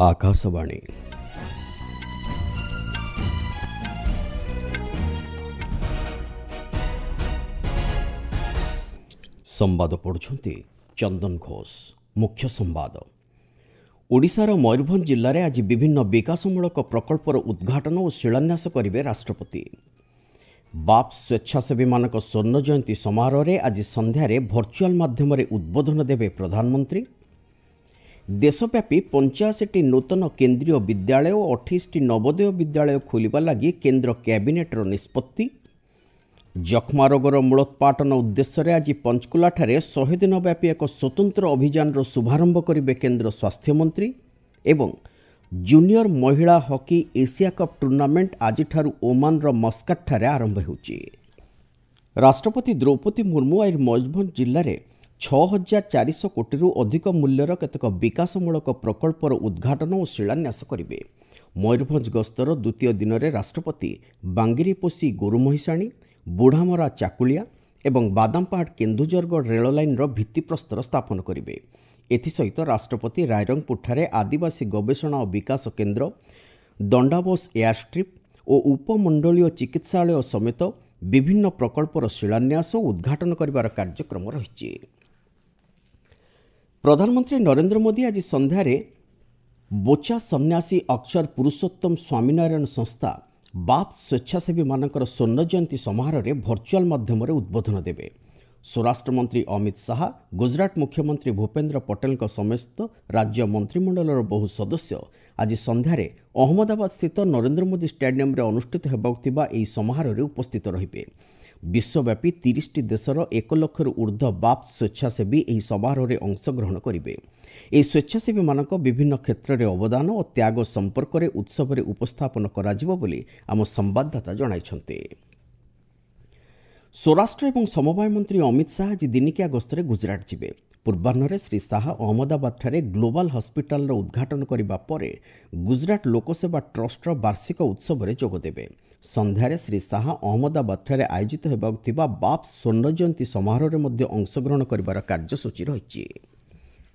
ଆକାଶବାଣୀ। ସମ୍ବାଦ ପଢ଼ୁଛନ୍ତି ଚନ୍ଦନ ଘୋଷ। ମୁଖ୍ୟ ସମ୍ବାଦ। ଓଡ଼ିଶାର ମୟୂରଭଞ୍ଜ ଜିଲ୍ଲାରେ ଆଜି ବିଭିନ୍ନ ବିକାଶମୂଳକ ପ୍ରକଳ୍ପର ଉଦ୍ଘାଟନ ଓ ଶିଳାନ୍ୟାସ କରିବେ ରାଷ୍ଟ୍ରପତି। ବାପ୍ସ ସ୍ୱେଚ୍ଛାସେବୀମାନଙ୍କ ସ୍ୱର୍ଣ୍ଣ ଜୟନ୍ତୀ ସମାରୋହରେ ଆଜି ସନ୍ଧ୍ୟାରେ ଭର୍ଚୁଆଲ୍ ମାଧ୍ୟମରେ ଉଦ୍ବୋଧନ ଦେବେ ପ୍ରଧାନମନ୍ତ୍ରୀ। ଦେଶବ୍ୟାପୀ 85ଟି ନୂତନ କେନ୍ଦ୍ରୀୟ ବିଦ୍ୟାଳୟ ଓ 28ଟି ନବୋଦୟ ବିଦ୍ୟାଳୟ ଖୋଲିବା ଲାଗି କେନ୍ଦ୍ର କ୍ୟାବିନେଟ୍ର ନିଷ୍ପତ୍ତି। ଯକ୍ଷ୍ମା ରୋଗର ମୂଳୋତ୍ପାଟନ ଉଦ୍ଦେଶ୍ୟରେ ଆଜି ପଞ୍ଚକୁଲାଠାରେ 100 ଦିନ ବ୍ୟାପୀ ଏକ ସ୍ୱତନ୍ତ୍ର ଅଭିଯାନର ଶୁଭାରମ୍ଭ କରିବେ କେନ୍ଦ୍ର ସ୍ୱାସ୍ଥ୍ୟମନ୍ତ୍ରୀ। ଏବଂ ଜୁନିୟର ମହିଳା ହକି ଏସିଆ କପ୍ ଟୁର୍ଣ୍ଣାମେଣ୍ଟ ଆଜିଠାରୁ ଓମାନର ମସ୍କାଟଠାରେ ଆରମ୍ଭ ହେଉଛି। ରାଷ୍ଟ୍ରପତି ଦ୍ରୌପଦୀ ମୁର୍ମୁ ଆଜି ମୟୂରଭଞ୍ଜ ଜିଲ୍ଲାରେ 6400 କୋଟିରୁ ଅଧିକ ମୂଲ୍ୟର କେତେକ ବିକାଶମୂଳକ ପ୍ରକଳ୍ପର ଉଦ୍ଘାଟନ ଓ ଶିଳାନ୍ୟାସ କରିବେ। ମୟୂରଭଞ୍ଜ ଗସ୍ତର ଦ୍ୱିତୀୟ ଦିନରେ ରାଷ୍ଟ୍ରପତି ବାଙ୍ଗିରିପୋଷି ଗୋରୁମହିଷାଣୀ, ବୁଢ଼ାମରା ଚାକୁଳିଆ ଏବଂ ବାଦାମପାହାଡ଼ କେନ୍ଦୁଝରଗଡ଼ ରେଳ ଲାଇନ୍ର ଭିତ୍ତିପ୍ରସ୍ତର ସ୍ଥାପନ କରିବେ। ଏଥିସହିତ ରାଷ୍ଟ୍ରପତି ରାଇରଙ୍ଗପୁରଠାରେ ଆଦିବାସୀ ଗବେଷଣା ଓ ବିକାଶ କେନ୍ଦ୍ର, ଦଣ୍ଡାବୋସ ଏୟାରଷ୍ଟ୍ରିପ୍ ଓ ଉପମଣ୍ଡଳୀୟ ଚିକିତ୍ସାଳୟ ସମେତ ବିଭିନ୍ନ ପ୍ରକଳ୍ପର ଶିଳାନ୍ୟାସ ଓ ଉଦ୍ଘାଟନ କରିବାର କାର୍ଯ୍ୟକ୍ରମ ରହିଛି। ପ୍ରଧାନମନ୍ତ୍ରୀ ନରେନ୍ଦ୍ର ମୋଦି ଆଜି ସନ୍ଧ୍ୟାରେ ବୋଚା ସନ୍ନ୍ୟାସୀ ଅକ୍ଷର ପୁରୁଷୋତ୍ତମ ସ୍ୱାମୀନାରାୟଣ ସଂସ୍ଥା ବାପ୍ସ ସ୍ୱେଚ୍ଛାସେବୀମାନଙ୍କର ସ୍ୱର୍ଣ୍ଣ ଜୟନ୍ତୀ ସମାରୋହରେ ଭର୍ଚୁଆଲ୍ ମାଧ୍ୟମରେ ଉଦ୍ବୋଧନ ଦେବେ। ସ୍ୱରାଷ୍ଟ୍ରମନ୍ତ୍ରୀ ଅମିତ ଶାହା, ଗୁଜରାଟ ମୁଖ୍ୟମନ୍ତ୍ରୀ ଭୂପେନ୍ଦ୍ର ପଟେଲଙ୍କ ସମେତ ରାଜ୍ୟ ମନ୍ତ୍ରିମଣ୍ଡଳର ବହୁ ସଦସ୍ୟ ଆଜି ସନ୍ଧ୍ୟାରେ ଅହମ୍ମଦାବାଦସ୍ଥିତ ନରେନ୍ଦ୍ର ମୋଦି ଷ୍ଟାଡିୟମରେ ଅନୁଷ୍ଠିତ ହେବାକୁ ଥିବା ଏହି ସମାରୋହରେ ଉପସ୍ଥିତ ରହିବେ। ବିଶ୍ୱବ୍ୟାପୀ 30ଟି ଦେଶର 1 ଲକ୍ଷରୁ ଉର୍ଦ୍ଧ୍ୱ ବାପ୍ସ ସ୍ୱେଚ୍ଛାସେବୀ ଏହି ସମାରୋହରେ ଅଂଶଗ୍ରହଣ କରିବେ। ଏହି ସ୍ୱେଚ୍ଛାସେବୀମାନଙ୍କ ବିଭିନ୍ନ କ୍ଷେତ୍ରରେ ଅବଦାନ ଓ ତ୍ୟାଗ ସମ୍ପର୍କରେ ଉତ୍ସବରେ ଉପସ୍ଥାପନ କରାଯିବ ବୋଲି ଆମ ସମ୍ବାଦଦାତା ଜଣାଇଛନ୍ତି। ସ୍ୱରାଷ୍ଟ୍ର ଏବଂ ସମବାୟ ମନ୍ତ୍ରୀ ଅମିତ ଶାହା ଆଜି ଦିନିକିଆ ଗସ୍ତରେ ଗୁଜରାଟ ଯିବେ। ପୂର୍ବାହ୍ନରେ ଶ୍ରୀ ଶାହା ଅହମ୍ମଦାବାଦଠାରେ ଗ୍ଲୋବାଲ୍ ହସ୍ପିଟାଲର ଉଦ୍ଘାଟନ କରିବା ପରେ ଗୁଜରାଟ ଲୋକସେବା ଟ୍ରଷ୍ଟର ବାର୍ଷିକ ଉତ୍ସବରେ ଯୋଗଦେବେ। ସନ୍ଧ୍ୟାରେ ଶ୍ରୀ ଶାହା ଅହମ୍ମଦାବାଦଠାରେ ଆୟୋଜିତ ହେବାକୁ ଥିବା ବାପ୍ସ ସ୍ୱର୍ଣ୍ଣ ଜୟନ୍ତୀ ସମାରୋହରେ ମଧ୍ୟ ଅଂଶଗ୍ରହଣ କରିବାର କାର୍ଯ୍ୟସୂଚୀ ରହିଛି।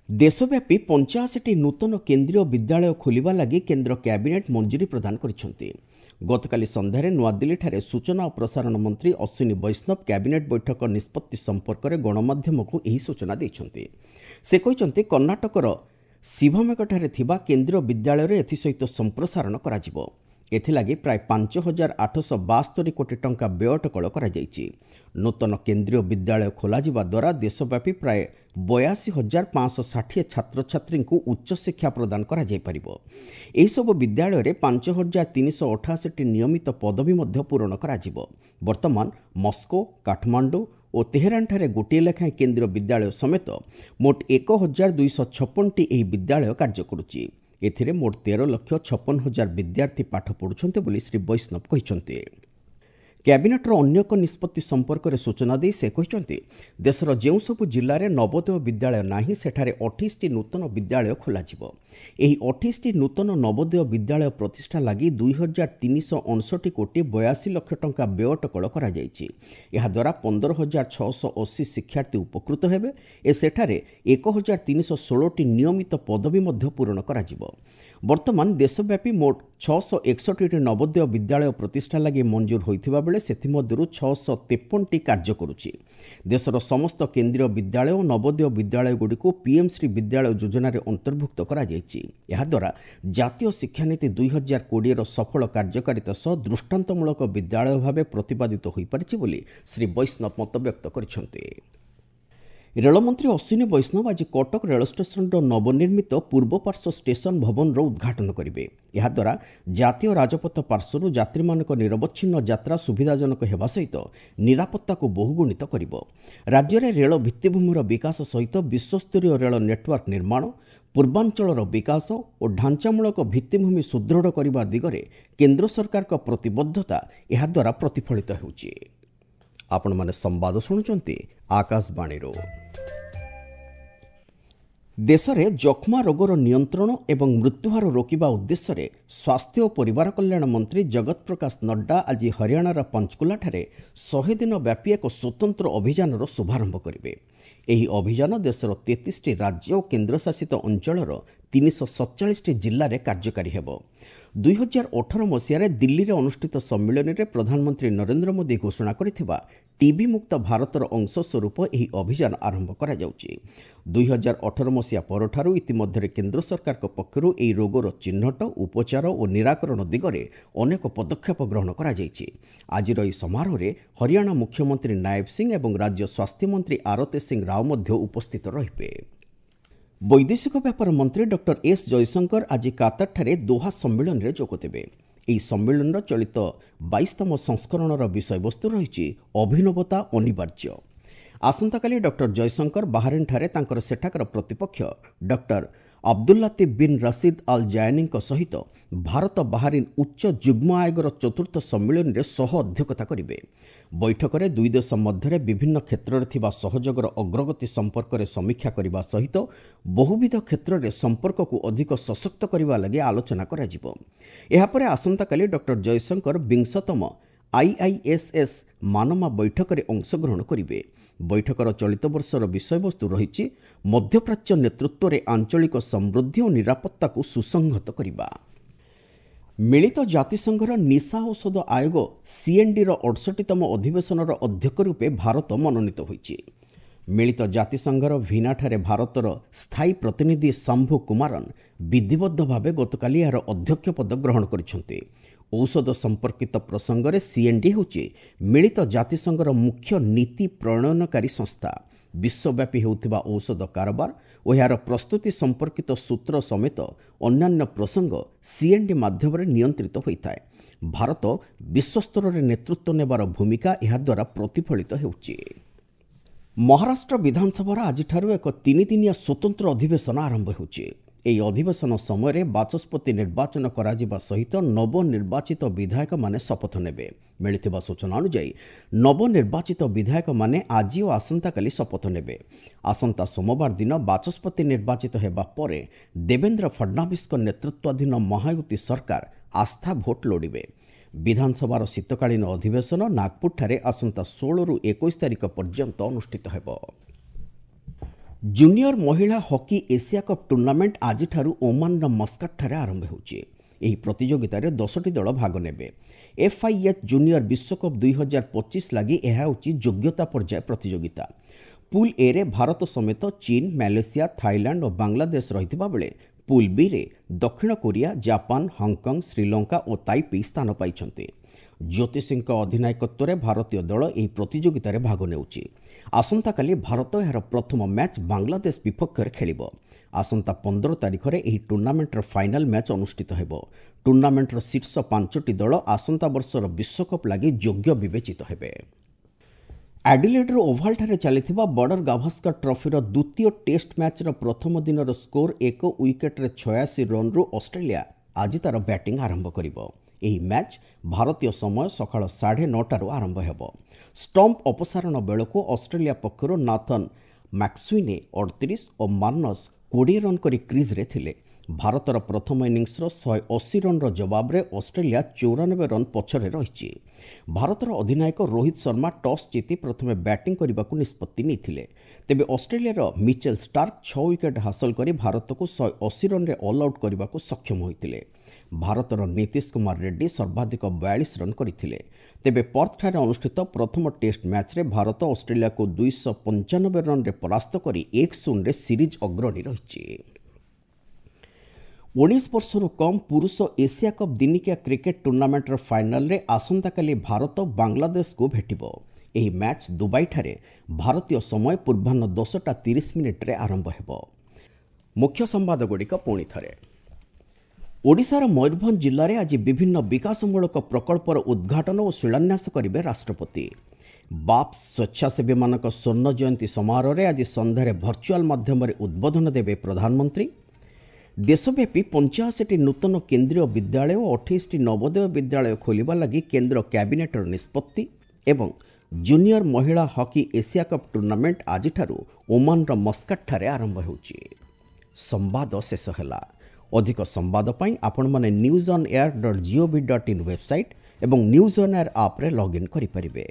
ଦେଶବ୍ୟାପୀ 85ଟି ନୂତନ କେନ୍ଦ୍ରୀୟ ବିଦ୍ୟାଳୟ ଖୋଲିବା ଲାଗି କେନ୍ଦ୍ର କ୍ୟାବିନେଟ୍ ମଞ୍ଜୁରୀ ପ୍ରଦାନ କରିଛନ୍ତି। ଗତକାଲି ସନ୍ଧ୍ୟାରେ ନୂଆଦିଲ୍ଲୀଠାରେ ସୂଚନା ଓ ପ୍ରସାରଣ ମନ୍ତ୍ରୀ ଅଶ୍ୱିନୀ ବୈଷ୍ଣବ କ୍ୟାବିନେଟ୍ ବୈଠକ ନିଷ୍ପତ୍ତି ସମ୍ପର୍କରେ ଗଣମାଧ୍ୟମକୁ ଏହି ସୂଚନା ଦେଇଛନ୍ତି। ସେ କହିଛନ୍ତି, କର୍ଣ୍ଣାଟକର ଶିଭମେଘଠାରେ ଥିବା କେନ୍ଦ୍ରୀୟ ବିଦ୍ୟାଳୟରେ ଏଥିସହିତ ସମ୍ପ୍ରସାରଣ କରାଯିବ। ଏଥିଲାଗି ପ୍ରାୟ 5872 କୋଟି ଟଙ୍କା ବ୍ୟୟ ଅଟକଳ କରାଯାଇଛି। ନୂତନ କେନ୍ଦ୍ରୀୟ ବିଦ୍ୟାଳୟ ଖୋଲାଯିବା ଦ୍ୱାରା ଦେଶବ୍ୟାପୀ ପ୍ରାୟ 82560 ଛାତ୍ରଛାତ୍ରୀଙ୍କୁ ଉଚ୍ଚଶିକ୍ଷା ପ୍ରଦାନ କରାଯାଇପାରିବ। ଏହିସବୁ ବିଦ୍ୟାଳୟରେ 5388ଟି ନିୟମିତ ପଦବୀ ମଧ୍ୟ ପୂରଣ କରାଯିବ। ବର୍ତ୍ତମାନ ମସ୍କୋ, କାଠମାଣ୍ଡୁ ଓ ତେହେରାନଠାରେ ଗୋଟିଏ ଲେଖାଏଁ କେନ୍ଦ୍ରୀୟ ବିଦ୍ୟାଳୟ ସମେତ ମୋଟ 1256ଟି ଏହି ବିଦ୍ୟାଳୟ କାର୍ଯ୍ୟ କରୁଛି। ଏଥିରେ ମୋଟ 13,56,000 ବିଦ୍ୟାର୍ଥୀ ପାଠ ପଢ଼ୁଛନ୍ତି ବୋଲି ଶ୍ରୀ ବୈଷ୍ଣବ କହିଛନ୍ତି। କ୍ୟାବିନେଟ୍ର ଅନ୍ୟ ଏକ ନିଷ୍ପତ୍ତି ସମ୍ପର୍କରେ ସୂଚନା ଦେଇ ସେ କହିଛନ୍ତି, ଦେଶର ଯେଉଁସବୁ ଜିଲ୍ଲାରେ ନବୋଦୟ ବିଦ୍ୟାଳୟ ନାହିଁ ସେଠାରେ 28ଟି ନୂତନ ବିଦ୍ୟାଳୟ ଖୋଲାଯିବ। ଏହି 28ଟି ନୂତନ ନବୋଦୟ ବିଦ୍ୟାଳୟ ପ୍ରତିଷ୍ଠା ଲାଗି 2359 କୋଟି 82 ଲକ୍ଷ ଟଙ୍କା ବ୍ୟୟ ଅଟକଳ କରାଯାଇଛି। ଏହାଦ୍ୱାରା 15,680 ଶିକ୍ଷାର୍ଥୀ ଉପକୃତ ହେବେ ଓ ସେଠାରେ 1316ଟି ନିୟମିତ ପଦବୀ ମଧ୍ୟ ପୂରଣ କରାଯିବ। ବର୍ତ୍ତମାନ ଦେଶବ୍ୟାପୀ ମୋଟ 661ଟି ନବୋଦୟ ବିଦ୍ୟାଳୟ ପ୍ରତିଷ୍ଠା ଲାଗି ମଞ୍ଜୁର ହୋଇଥିବା ବେଳେ ସେଥିମଧ୍ୟରୁ 653ଟି କାର୍ଯ୍ୟ କରୁଛି। ଦେଶର ସମସ୍ତ କେନ୍ଦ୍ରୀୟ ବିଦ୍ୟାଳୟ ଓ ନବୋଦୟ ବିଦ୍ୟାଳୟଗୁଡ଼ିକୁ ପିଏମ୍ ଶ୍ରୀ ବିଦ୍ୟାଳୟ ଯୋଜନାରେ ଅନ୍ତର୍ଭୁକ୍ତ କରାଯାଇଛି। ଏହାଦ୍ୱାରା ଜାତୀୟ ଶିକ୍ଷାନୀତି 2020ର ସଫଳ କାର୍ଯ୍ୟକାରିତା ସହ ଦୃଷ୍ଟାନ୍ତମୂଳକ ବିଦ୍ୟାଳୟ ଭାବେ ପ୍ରତିପାଦିତ ହୋଇପାରିଛି ବୋଲି ଶ୍ରୀ ବୈଷ୍ଣବ ମତବ୍ୟକ୍ତ କରିଛନ୍ତି। ରେଳମନ୍ତ୍ରୀ ଅଶ୍ୱିନୀ ବୈଷ୍ଣବ ଆଜି କଟକ ରେଳ ଷ୍ଟେସନର ନବନିର୍ମିତ ପୂର୍ବ ପାର୍ଶ୍ୱ ଷ୍ଟେସନ ଭବନର ଉଦ୍ଘାଟନ କରିବେ। ଏହାଦ୍ୱାରା ଜାତୀୟ ରାଜପଥ ପାର୍ଶ୍ୱରୁ ଯାତ୍ରୀମାନଙ୍କ ନିରବଚ୍ଛିନ୍ନ ଯାତ୍ରା ସୁବିଧାଜନକ ହେବା ସହିତ ନିରାପତ୍ତାକୁ ବହୁଗୁଣିତ କରିବ। ରାଜ୍ୟରେ ରେଳ ଭିତ୍ତିଭୂମିର ବିକାଶ ସହିତ ବିଶ୍ୱସ୍ତରୀୟ ରେଳ ନେଟୱାର୍କ ନିର୍ମାଣ, ପୂର୍ବାଞ୍ଚଳର ବିକାଶ ଓ ଢାଞ୍ଚାମୂଳକ ଭିତ୍ତିଭୂମି ସୁଦୃଢ଼ କରିବା ଦିଗରେ କେନ୍ଦ୍ର ସରକାରଙ୍କ ପ୍ରତିବଦ୍ଧତା ଏହାଦ୍ୱାରା ପ୍ରତିଫଳିତ ହେଉଛି। ଆପଣମାନେ ସମ୍ବାଦ ଶୁଣୁଛନ୍ତି ଆକାଶବାଣୀରୁ। ଦେଶରେ ଯକ୍ଷ୍ମା ରୋଗର ନିୟନ୍ତ୍ରଣ ଏବଂ ମୃତ୍ୟୁହାର ରୋକିବା ଉଦ୍ଦେଶ୍ୟରେ ସ୍ୱାସ୍ଥ୍ୟ ଓ ପରିବାର କଲ୍ୟାଣ ମନ୍ତ୍ରୀ ଜଗତ ପ୍ରକାଶ ନଡ୍ଡା ଆଜି ହରିୟାଣାର ପଞ୍ଚକୁଲାଠାରେ 100 ଦିନ ବ୍ୟାପୀ ଏକ ସ୍ୱତନ୍ତ୍ର ଅଭିଯାନର ଶୁଭାରମ୍ଭ କରିବେ। ଏହି ଅଭିଯାନ ଦେଶର 33ଟି ରାଜ୍ୟ ଓ କେନ୍ଦ୍ରଶାସିତ ଅଞ୍ଚଳର 347ଟି ଜିଲ୍ଲାରେ କାର୍ଯ୍ୟକାରୀ ହେବ। 2018 ମସିହାରେ ଦିଲ୍ଲୀରେ ଅନୁଷ୍ଠିତ ସମ୍ମିଳନୀରେ ପ୍ରଧାନମନ୍ତ୍ରୀ ନରେନ୍ଦ୍ର ମୋଦି ଘୋଷଣା କରିଥିବା ଟିବି ମୁକ୍ତ ଭାରତର ଅଂଶସ୍ୱରୂପ ଏହି ଅଭିଯାନ ଆରମ୍ଭ କରାଯାଉଛି। 2018 ମସିହା ପରଠାରୁ ଇତିମଧ୍ୟରେ କେନ୍ଦ୍ର ସରକାରଙ୍କ ପକ୍ଷରୁ ଏହି ରୋଗର ଚିହ୍ନଟ, ଉପଚାର ଓ ନିରାକରଣ ଦିଗରେ ଅନେକ ପଦକ୍ଷେପ ଗ୍ରହଣ କରାଯାଇଛି। ଆଜିର ଏହି ସମାରୋହରେ ହରିୟାଣା ମୁଖ୍ୟମନ୍ତ୍ରୀ ନାୟବ ସିଂ ଏବଂ ରାଜ୍ୟ ସ୍ୱାସ୍ଥ୍ୟମନ୍ତ୍ରୀ ଆରତୀ ସିଂ ରାଓ ମଧ୍ୟ ଉପସ୍ଥିତ ରହିବେ। ବୈଦେଶିକ ବ୍ୟାପାର ମନ୍ତ୍ରୀ ଡକ୍ଟର ଏସ୍ ଜୟଶଙ୍କର ଆଜି କାତାରଠାରେ ଦୋହା ସମ୍ମିଳନୀରେ ଯୋଗଦେବେ। ଏହି ସମ୍ମିଳନୀର ଚଳିତ 22ତମ ସଂସ୍କରଣର ବିଷୟବସ୍ତୁ ରହିଛି ଅଭିନବତା ଅନିବାର୍ଯ୍ୟ। ଆସନ୍ତାକାଲି ଡକ୍ଟର ଜୟଶଙ୍କର ବାହାରିନ୍ଠାରେ ତାଙ୍କର ସେଠାକାର ପ୍ରତିପକ୍ଷ ଡକ୍ଟର ଅବଦୁଲ୍ଲାତିଫ ବିନ୍ ରସିଦ ଅଲ୍ ଜାୟାନୀଙ୍କ ସହିତ ଭାରତ ବାହାରିନ୍ ଉଚ୍ଚ ଯୁଗ୍ମ ଆୟୋଗର ଚତୁର୍ଥ ସମ୍ମିଳନୀରେ ସହ ଅଧ୍ୟକ୍ଷତା କରିବେ। ବୈଠକରେ ଦୁଇ ଦେଶ ମଧ୍ୟରେ ବିଭିନ୍ନ କ୍ଷେତ୍ରରେ ଥିବା ସହଯୋଗର ଅଗ୍ରଗତି ସମ୍ପର୍କରେ ସମୀକ୍ଷା କରିବା ସହିତ ବହୁବିଧ କ୍ଷେତ୍ରରେ ସମ୍ପର୍କକୁ ଅଧିକ ସଶକ୍ତ କରିବା ଲାଗି ଆଲୋଚନା କରାଯିବ। ଏହାପରେ ଆସନ୍ତାକାଲି ଡକ୍ଟର ଜୟଶଙ୍କର 20ତମ ଆଇଆଇଏସ୍ଏସ୍ ମାନମା ବୈଠକରେ ଅଂଶଗ୍ରହଣ କରିବେ। ବୈଠକର ଚଳିତ ବର୍ଷର ବିଷୟବସ୍ତୁ ରହିଛି ମଧ୍ୟପ୍ରାଚ୍ୟ ନେତୃତ୍ୱରେ ଆଞ୍ଚଳିକ ସମୃଦ୍ଧି ଓ ନିରାପତ୍ତାକୁ ସୁସଂହତ କରିବା। ମିଳିତ ଜାତିସଂଘର ନିଶା ଔଷଧ ଆୟୋଗ ସିଏନ୍ଡିର 68ତମ ଅଧିବେଶନର ଅଧ୍ୟକ୍ଷ ରୂପେ ଭାରତ ମନୋନୀତ ହୋଇଛି। ମିଳିତ ଜାତିସଂଘର ଭିନାଠାରେ ଭାରତର ସ୍ଥାୟୀ ପ୍ରତିନିଧି ଶମ୍ଭୁ କୁମାରନ୍ ବିଧିବଦ୍ଧ ଭାବେ ଗତକାଲି ଏହାର ଅଧ୍ୟକ୍ଷ ପଦ ଗ୍ରହଣ କରିଛନ୍ତି। ଔଷଧ ସମ୍ପର୍କିତ ପ୍ରସଙ୍ଗରେ ସିଏନ୍ଡି ହେଉଛି ମିଳିତ ଜାତିସଂଘର ମୁଖ୍ୟ ନୀତି ପ୍ରଣୟନକାରୀ ସଂସ୍ଥା। ବିଶ୍ୱବ୍ୟାପୀ ହେଉଥିବା ଔଷଧ କାରବାର ଓ ଏହାର ପ୍ରସ୍ତୁତି ସମ୍ପର୍କିତ ସୂତ୍ର ସମେତ ଅନ୍ୟାନ୍ୟ ପ୍ରସଙ୍ଗ ସିଏନ୍ଡି ମାଧ୍ୟମରେ ନିୟନ୍ତ୍ରିତ ହୋଇଥାଏ। ଭାରତ ବିଶ୍ୱସ୍ତରରେ ନେତୃତ୍ୱ ନେବାର ଭୂମିକା ଏହାଦ୍ୱାରା ପ୍ରତିଫଳିତ ହେଉଛି। ମହାରାଷ୍ଟ୍ର ବିଧାନସଭାର ଆଜିଠାରୁ ଏକ 3 ଦିନିଆ ସ୍ୱତନ୍ତ୍ର ଅଧିବେଶନ ଆରମ୍ଭ ହେଉଛି। ଏହି ଅଧିବେଶନ ସମୟରେ ବାଚସ୍ପତି ନିର୍ବାଚନ କରାଯିବା ସହିତ ନବନିର୍ବାଚିତ ବିଧାୟକମାନେ ଶପଥ ନେବେ। ମିଳିଥିବା ସୂଚନା ଅନୁଯାୟୀ ନବନିର୍ବାଚିତ ବିଧାୟକମାନେ ଆଜି ଓ ଆସନ୍ତାକାଲି ଶପଥ ନେବେ। ଆସନ୍ତା ସୋମବାର ଦିନ ବାଚସ୍ପତି ନିର୍ବାଚିତ ହେବା ପରେ ଦେବେନ୍ଦ୍ର ଫଡନାଭିସଙ୍କ ନେତୃତ୍ୱାଧୀନ ମହାୟୁତି ସରକାର ଆସ୍ଥା ଭୋଟ ଲୋଡ଼ିବେ। ବିଧାନସଭାର ଶୀତକାଳୀନ ଅଧିବେଶନ ନାଗପୁରଠାରେ ଆସନ୍ତା 16ରୁ 21 ତାରିଖ ପର୍ଯ୍ୟନ୍ତ ଅନୁଷ୍ଠିତ ହେବ। ଜୁନିୟର ମହିଳା ହକି ଏସିଆ କପ୍ ଟୁର୍ଣ୍ଣାମେଣ୍ଟ ଆଜିଠାରୁ ଓମାନର ମସ୍କାଟଠାରେ ଆରମ୍ଭ ହେଉଛି। ଏହି ପ୍ରତିଯୋଗିତାରେ 10ଟି ଦଳ ଭାଗ ନେବେ। ଏଫ୍ଆଇଏଚ୍ ଜୁନିୟର ବିଶ୍ୱକପ୍ 2025 ଲାଗି ଏହା ହେଉଛି ଯୋଗ୍ୟତା ପର୍ଯ୍ୟାୟ ପ୍ରତିଯୋଗିତା। ପୁଲ୍ ଏରେ ଭାରତ ସମେତ ଚୀନ, ମାଲେସିଆ, ଥାଇଲାଣ୍ଡ ଓ ବାଂଲାଦେଶ ରହିଥିବା ବେଳେ ପୁଲ୍ ବିରେ ଦକ୍ଷିଣ କୋରିଆ, ଜାପାନ, ହଂକଂ, ଶ୍ରୀଲଙ୍କା ଓ ତାଇପେଇ ସ୍ଥାନ ପାଇଛନ୍ତି। ଜ୍ୟୋତି ସିଂଙ୍କ ଅଧିନାୟକତ୍ୱରେ ଭାରତୀୟ ଦଳ ଏହି ପ୍ରତିଯୋଗିତାରେ ଭାଗ ନେଉଛି। ଆସନ୍ତାକାଲି ଭାରତ ଏହାର ପ୍ରଥମ ମ୍ୟାଚ୍ ବାଂଲାଦେଶ ବିପକ୍ଷରେ ଖେଳିବ। ଆସନ୍ତା 15 ତାରିଖରେ ଏହି ଟୁର୍ଣ୍ଣାମେଣ୍ଟର ଫାଇନାଲ ମ୍ୟାଚ୍ ଅନୁଷ୍ଠିତ ହେବ। ଟୁର୍ଣ୍ଣାମେଣ୍ଟର ଶୀର୍ଷ 5ଟି ଦଳ ଆସନ୍ତା ବର୍ଷର ବିଶ୍ୱକପ୍ ଲାଗି ଯୋଗ୍ୟ ବିବେଚିତ ହେବେ। ଆଡିଲେଡ୍ର ଓଭାଲଠାରେ ଚାଲିଥିବା ବର୍ଡର ଗାଭାସ୍କର ଟ୍ରଫିର ଦ୍ୱିତୀୟ ଟେଷ୍ଟ ମ୍ୟାଚ୍ର ପ୍ରଥମ ଦିନର ସ୍କୋର 1 ୱିକେଟ୍ରେ 86 ରନ୍ରୁ ଅଷ୍ଟ୍ରେଲିଆ ଆଜି ତା'ର ବ୍ୟାଟିଂ ଆରମ୍ଭ କରିବ। ଏହି ମ୍ୟାଚ୍ ଭାରତୀୟ ସମୟ ସକାଳ 9:30ରୁ ଆରମ୍ଭ ହେବ। ଷ୍ଟମ୍ପ ଅପସାରଣ ବେଳକୁ ଅଷ୍ଟ୍ରେଲିଆ ପକ୍ଷରୁ ନାଥନ୍ ମ୍ୟାକ୍ସୁଇନେ 38 ଓ ମାର୍ନସ୍ 20 ରନ୍ କରି କ୍ରିଜ୍ରେ ଥିଲେ। ଭାରତର ପ୍ରଥମ ଇନିଂସର 180 ରନ୍ର ଜବାବରେ ଅଷ୍ଟ୍ରେଲିଆ 94 ରନ୍ ପଛରେ ରହିଛି। ଭାରତର ଅଧିନାୟକ ରୋହିତ ଶର୍ମା ଟସ୍ ଜିତି ପ୍ରଥମେ ବ୍ୟାଟିଂ କରିବାକୁ ନିଷ୍ପତ୍ତି ନେଇଥିଲେ। ତେବେ ଅଷ୍ଟ୍ରେଲିଆର ମିଚେଲ ଷ୍ଟାର୍କ 6 ୱିକେଟ୍ ହାସଲ କରି ଭାରତକୁ 180 ରନ୍ରେ ଅଲ୍ ଆଉଟ୍ କରିବାକୁ ସକ୍ଷମ ହୋଇଥିଲେ। ଭାରତର ନୀତିଶ କୁମାର ରେଡ୍ଡି ସର୍ବାଧିକ 42 ରନ୍ କରିଥିଲେ। ତେବେ ପର୍ଥଠାରେ ଅନୁଷ୍ଠିତ ପ୍ରଥମ ଟେଷ୍ଟ ମ୍ୟାଚ୍ରେ ଭାରତ ଅଷ୍ଟ୍ରେଲିଆକୁ 295 ରନ୍ରେ ପରାସ୍ତ କରି 1-0ରେ ସିରିଜ୍ ଅଗ୍ରଣୀ ରହିଛି। 19 ବର୍ଷରୁ କମ୍ ପୁରୁଷ ଏସିଆ କପ୍ ଦିନିକିଆ କ୍ରିକେଟ୍ ଟୁର୍ଣ୍ଣାମେଣ୍ଟର ଫାଇନାଲରେ ଆସନ୍ତାକାଲି ଭାରତ ବାଂଲାଦେଶକୁ ଭେଟିବ। ଏହି ମ୍ୟାଚ୍ ଦୁବାଇଠାରେ ଭାରତୀୟ ସମୟ ପୂର୍ବାହ୍ନ 10ଟା 30 ମିନିଟ୍ରେ ଆରମ୍ଭ ହେବ। ମୁଖ୍ୟ ସମ୍ବାଦଗୁଡ଼ିକ ପୁଣି ଥରେ। ଓଡ଼ିଶାର ମୟୂରଭଞ୍ଜ ଜିଲ୍ଲାରେ ଆଜି ବିଭିନ୍ନ ବିକାଶମୂଳକ ପ୍ରକଳ୍ପର ଉଦ୍ଘାଟନ ଓ ଶିଳାନ୍ୟାସ କରିବେ ରାଷ୍ଟ୍ରପତି। ବାପ୍ସ ସ୍ୱେଚ୍ଛାସେବୀମାନଙ୍କ ସ୍ୱର୍ଣ୍ଣ ଜୟନ୍ତୀ ସମାରୋହରେ ଆଜି ସନ୍ଧ୍ୟାରେ ଭର୍ଚୁଆଲ ମାଧ୍ୟମରେ ଉଦ୍ବୋଧନ ଦେବେ ପ୍ରଧାନମନ୍ତ୍ରୀ। ଦେଶବ୍ୟାପୀ 85ଟି ନୂତନ କେନ୍ଦ୍ରୀୟ ବିଦ୍ୟାଳୟ ଓ 28ଟି ନବୋଦୟ ବିଦ୍ୟାଳୟ ଖୋଲିବା ଲାଗି କେନ୍ଦ୍ର କ୍ୟାବିନେଟ୍ର ନିଷ୍ପତ୍ତି ଏବଂ ଜୁନିୟର ମହିଳା ହକି ଏସିଆ କପ୍ ଟୁର୍ଣ୍ଣାମେଣ୍ଟ ଆଜିଠାରୁ ଓମାନର ମସ୍କାଟଠାରେ ଆରମ୍ଭ ହେଉଛି। ସମ୍ବାଦ ଶେଷ ହେଲା। ଅଧିକ ସମ୍ବାଦ ପାଇଁ ଆପଣମାନେ news on air dot gov dot in website ଏବଂ ନ୍ୟୁଜ୍ ଅନ୍ ଏୟାର ଆପ୍ରେ ଲଗ୍ଇନ୍ କରିପାରିବେ।